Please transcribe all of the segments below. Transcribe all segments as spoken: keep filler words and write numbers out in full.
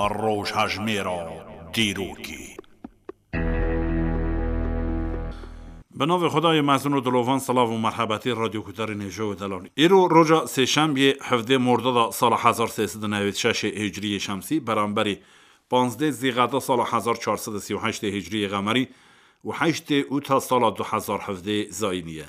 Rojhejmêra dîrokê. Bi navê Xwedayê mezin û dilovan, silav û merhebetî radyoguhdarên hêja û delalî. Îro roja sêşembiyê, hevdê Mordada sala hezar sê sed û newêd şeşê hicriyê şemsî, beramberî panzdê Zîqeda sala hezar çar sed û sî û heştê hicriyê qemerî û heştê Ûta sala du hezar hevdê zayînî ye.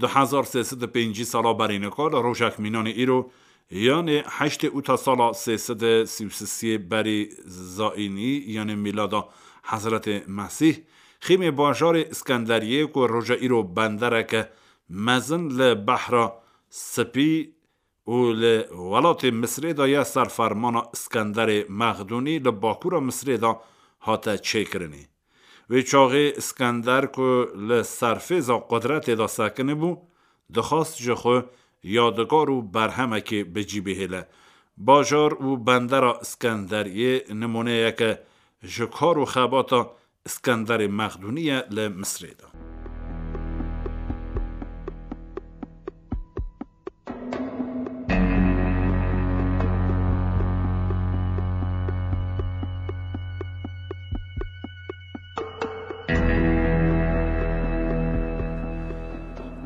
Du hezar sê sed û pêncî sala berî nika li rojek mînanê îro, yanê heştê Ûta sala sê sed û sî û sisê berî zayînî, yanê mîlada Hezretê Mesîh, xîmê bajarê Iskenderiyê ku roja îro bendereke mezin li Behra Spî û li welatê Misrê de ye, ser fermana Iskenderê Mexdûnî li bakûra Misrê de hate çêkirinê. Wê çaxê Iskender ku li serfêza qudretê de sekinibû, dixwast ji xwe yadigar û berhemekê bi cî bihêle. Bajar û bendera Iskenderiyê nimûneyeke ji kar û xebata Iskenderê Mexdûnî ye li Misrê de.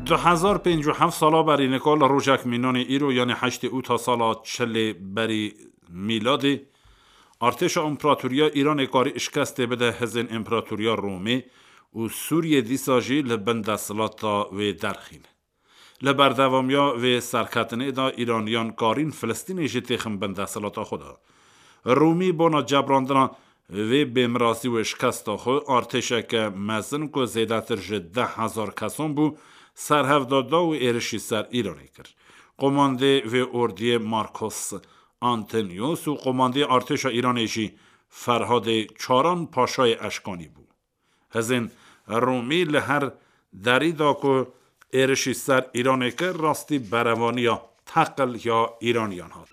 Du hezar pêncî û heft sala berî nika li rojek mînanê îro, yanê heştê Ûta sala çilê berî mîladê, artêşa împeratoriya Îranê karî şikestê bide hizên împeratoriya Romê û Sûriyê dîsa jî li bin desthilata wê derxîne. Li berdewamiya vê serketinê de Îraniyan karîn Filistînê jî têxin bin desthilata xwe de. Rûmî bona cebrandina vê bêmirazî û şikesta xwe, artêşeke mezin ku zêdetir ji deh hezar kesan bû, serhevda da û êrişî ser Îranê kir. Qomandê vê ordiyê Marcos Antonius û qomandê artêşa Îranê jî Ferhadê Çaran Paşayê Eşkanî bû. Hizên Rûmî li her derî da ku êrişî ser Îranê kir, rastî berevaniya teqil ya Îraniyan hat.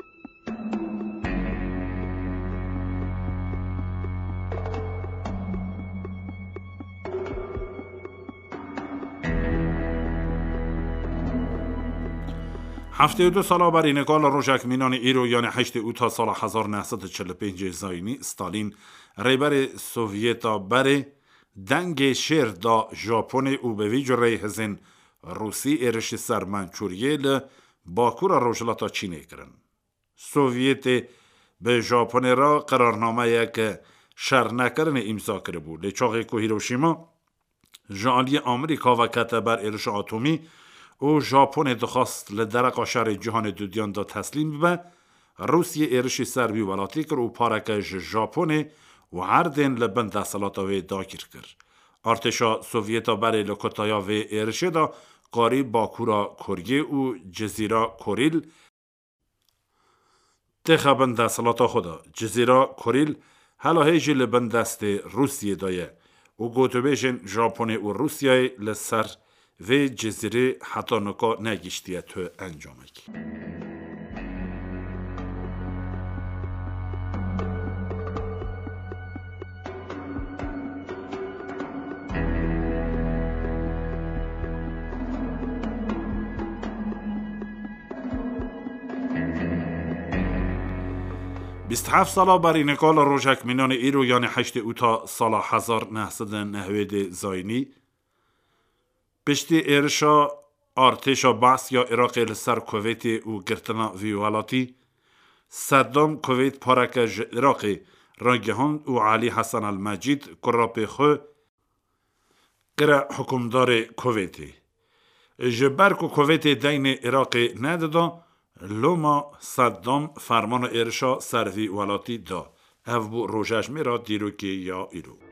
Heftê û du sala berî nika li rojek mînanê îro, yanê heştê Ûta sala hezar neh sed û çil û pêncê zayînî, Stalîn, rêberê Sovyeta berê, dengê şêr da Japonê û bi vî cureyê hizên Rûsî êrişî ser Mançûriyê li bakûra rojhilata Çînê kirin. Sovyetê bi Japonê re qerarnameyeke şernekirinê îmza kiribû. Lê çaxê ku Hiroşîma ji aliyê Amerîka ve kete ber êrişa atomî û Japonê dixwast li dereqa şerê cîhanê dudiyan de teslîm bibe, Rûsiyê êrişî ser wî welatî kir û pareke ji Japonê û erdên li bin desthilata wê dagîr kir. Artêşa Sovyeta berê li kutaya vê êrişê de karî bakûra Koriyê û Cizîra Korîl têxe bin desthilata xwe de. Cizîra Korîl hela hê jî li bin destê Rûsiyê de ye û gotûbêjên Japonê û Rûsiyayê li ser vê cizîrê heta nika negihiştiye tu encamekî. Bîst heft sala berî nika li rojek mînanê îro, yanê heştê Ûta sala hezar neh sed û nehwêdê zayînî, piştî êrişa artêşa Baas ya Iraqê li ser Kuweytê û girtina vî welatî, Seddam Kuweyt pareke ji Iraqê ragihand û Elî Hesen El Mecîd, kurapê xwe, kire hukimdarê Kuweytê. Ji ber ku Kuweytê deynê Iraqê nedida, loma Seddam fermana êrişa ser vî welatî da. Ev bû rojejmêra dîrokê ya îro.